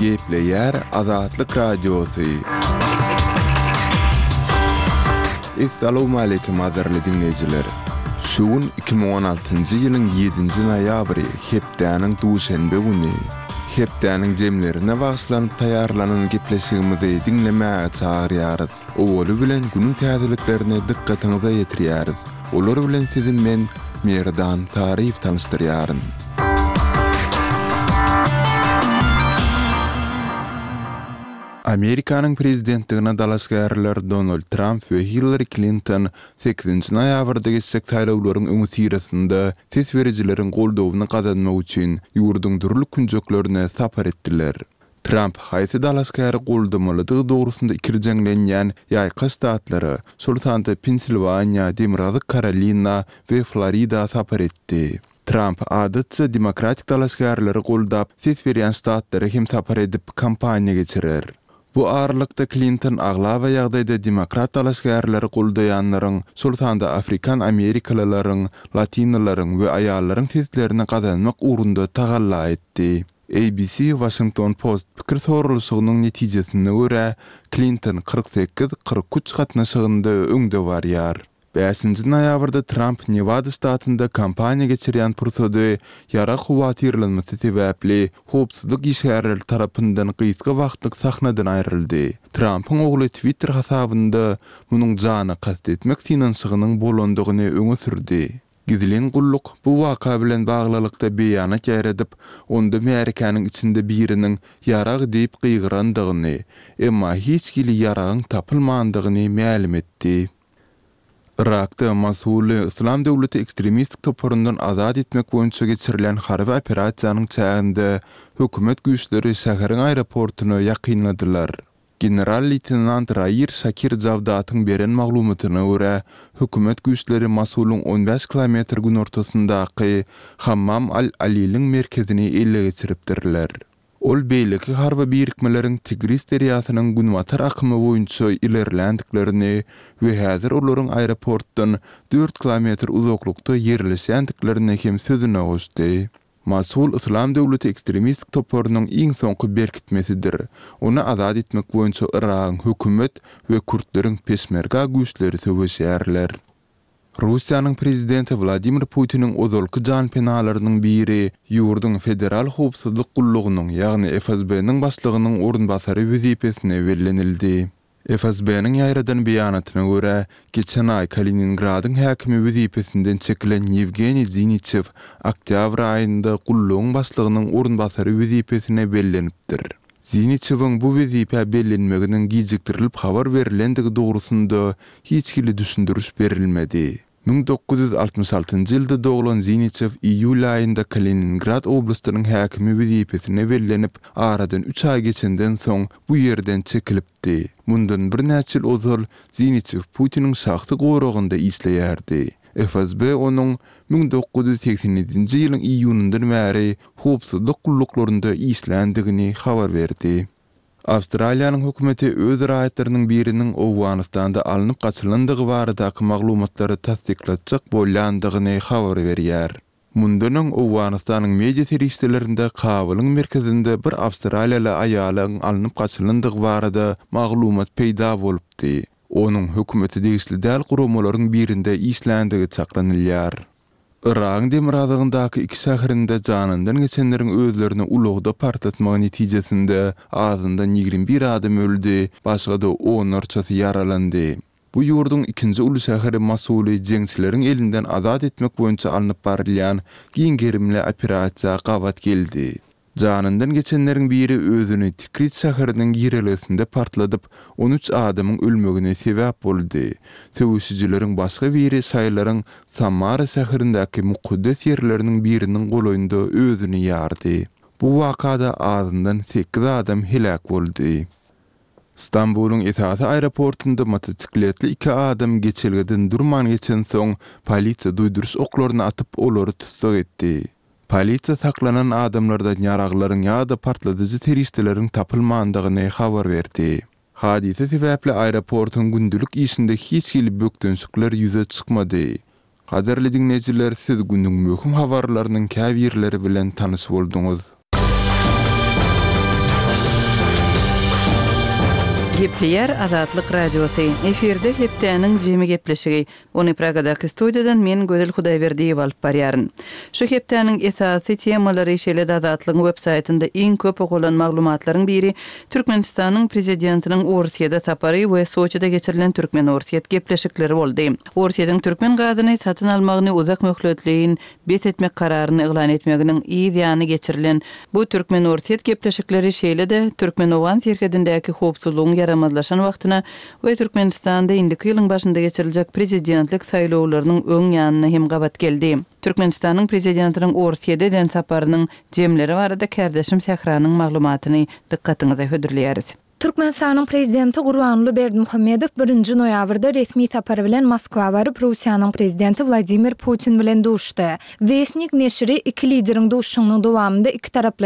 Gepleýär Azatlyk Radiosy. Essalawmaleýkim gadyrly diňleýjiler! Şu gün 2016-njy ýylyň ýedinji noýabry, hepdäniň duşenbe güni. Hepdäniň jemlerine bagyşlanyp taýýarlanan gepleşigimizi diňlemäge çagyrýarys. Owaly bilen günüň täzeliklerini dykgatyňyza ýetirýäris. Olar bilen sizi men, Merdan Saryýew tanyşdyrýaryn. Amerikanyň prezidentligine dalaşgärler Donald Tramp we Hillari Klinton sekizinji noýabrda geçjek saýlawlaryň öňüsyrasynda ses berijileriň goldawyny gazanmak üçin ýurduň dürli künjeklerine sapar etdiler. Tramp haýsy dalaşgäri goldamalydygy dogrusynda ikirjeňlenýän ýaýka ştatlara, şol sanda Pensilwaniýa, Demirgazyk Karolina we Florida sapar etdi. Tramp, adatça, demokratik dalaşgärleri goldap, ses berýän ştatlara hem sapar edip, kampaniýa geçirer. Bu aralykda Klinton aglaba ýagdaýda demokrat dalaşgärleri goldaýanlaryň, şol sanda afrikan amerikalylaryň, latinolaryň we aýallaryň seslerini gazanmak ugrunda tagalla etdi. ABC Washington Post pikir soralyşygynyň netijesine görä, Klinton 48, 43 gatnaşygynda öňde barýar. Bäşinji noýabrda Tramp Newada ştatynda kampaniýa geçirýän pursady ýarag howatyrlanmasy sebäpli howpsuzlyk işgärleri tarapyndan gysga wagtlyk sahnadan aýryldy. Trampyň ogly Twitter hasabynda munuň jana kast etmek synanyşygynyň bolandygyny öňe sürdi. Gizlin gulluk bu waka bilen baglylykda beýanat ýaýradyp, onda märekäniň içinde biriniň Ýarag diýip gygyrandygyny, emma hiç hili ýaragyň tapylmandygyny mälim etdi. Yrakda Mosuly Yslam döwleti ekstremistik toparyndan azat etmek boýunça geçirilen harby operasiýanyň çäginde hökümet güýçleri şäheriň aeroportuna ýakynladylar. General-leýtenant Rair Şakir Jawdatyň beren maglumatyna görä, hökümet güýçleri Mosulyň on bäş kilometr günortasyndaky Hammam al-Aliliň merkezini ele geçiripdirler. Ol beýleki harby birikmeleriň Tigris derýasynyň günbatar akymy boýunça ilerländiklerini we häzir olaryň aeroportdan dört kilometr uzaklykda ýerleşýändiklerini hem sözüne goşdy. Mosul Yslam döwleti ekstremistik toparynyň iň soňky berkitmesidir. Ony azat etmek boýunça Yragyň hökümet we kürtleriň peşmerga güýçleri söweşýärler. Russiýanyň prezidenti Wladimir Putiniň ozalky janpenalarynyň biri ýurduň Federal howpsuzlyk gullugynyň, ýagny FSB-niň başlygynyň orunbasary wezipesine bellenildi. FSB-niň ýaýradan beýanatyna görä, geçen aý Kaliningradyň häkimi wezipesinden çekilen Ýewgeniý Ziniçew oktýabr aýynda gullugyň başlygynyň orunbasary wezipesine bellenipdir. Ziniçewiň bu wezipä bellenmeginiň gijikdirilip habar berlendigi dogrusynda hiç hili düşündiriş berilmedi. 1966-njy ýylda doglan Ziniçew iýul aýynda Kaliningrad oblastynyň häkimi wezipesine bellenip, aradan üç aý geçenden soň bu ýerden çekilipdi. Mundan birnäçe ýyl ozal Ziniçew Putiniň şahsy goragynda işleýärdi. FSB onuň 1987-nji ýylyň iýunyndan bäri howpsuzlyk gulluklarynda işländigini habar berdi. Awstraliýanyň hökümeti öz raýatlarynyň biriniň Owganystanda alnyp gaçylandygy baradaky maglumatlary tassyklatjak bolýandygyny habar berýär. Mundan öň Owganystanyň media serişdelerinde Kabulyň merkezinde bir awstraliýaly aýalyň alnyp gaçylandygy barada maglumat peýda bolupdy. Onuň hökümete degişli däl guramalaryň birinde işländigi çaklanylýar. Yragyň demirgazygyndaky iki şäherinde janyndan geçenleriň özlerini ulagda partlatmagy netijesinde azyndan 21 adam öldi, başga-da onlarçasy ýaralandy. Bu ýurduň ikinji uly şäheri Mosuly jeňçileriň elinden azat etmek boýunça alnyp barylýan giň gerimli operasiýa gabat geldi. Janyndan geçenleriň biri özüni Tikrit şäheriniň girelgesinde partladyp, on üç adamyň ölmegine sebäp boldy. Söweşijileriň başga biri şaýylaryň Samara şäherindäki mukaddes ýerleriniň biriniň golaýynda özüni ýardy. Bu wakada azyndan sekiz adam heläk boldy. Stambulyň esasy aeroportunda motosikletli iki adam geçelgeden durman geçensoň, polisiýa duýduryş oklaryny atyp, olary tussag etdi. Polisiýa saklanan adamlardan ýaraglaryň ýa-da partladyjy serişdeleriň tapylmandygyny habar berdi. Hadysa sebäpli aeroportuň gündelik işinde hiç hili bökdençlikler ýüze çykmady. Gadyrly diňleýjiler siz günüň möhüm habarlarynyň käbirleri bilen tanyş bolduňyz. Gepleýär Azatlyk Radiosy, efirde hepdäniň jemi gepleşigi. Ony Pragadaky studiýadan men Gözel Hudaýberdiýewa alyp barýaryn. Şu hepdäniň esasy temalary, şeýle-de Azatlygyň websaýtynda iň köp okalan maglumatlaryň biri Türkmenistanyň Prezidentiniň Orsýede sapary we Soçide geçirilen türkmen-orsýet gepleşikleri boldy. Orsýetiň türkmen gazyny satyn almagyny uzak möhletleýin bes etmek kararyny yglan etmeginiň yz ýany geçirilen bu türkmen-orsýet gepleşikleri şeýle-de türkmen-owgan serhedindäki howpsuzlygyň ýaramazlaşan wagtyna we Türkmenistanda indiki ýylyň başynda geçiriljek prezidentlik saýlawlarynyň öň ýanyna hem gabat geldi. Türkmenistanyň Prezidentiniň Orsýede eden saparynyň jemleri barada kärdeşim Sähranyň maglumatyny dykgatyňyza hödürleýäris. Türkmenistanyň Prezidenti Gurbanguly Berdimuhamedow birinji noýabrda resmi sapar bilen Moskwa baryp, Russiýanyň Prezidenti Wladimir Putin bilen duşdy. Westnik neşiri iki lideriň duşuşygynyň dowamynda ikitaraplaýyn.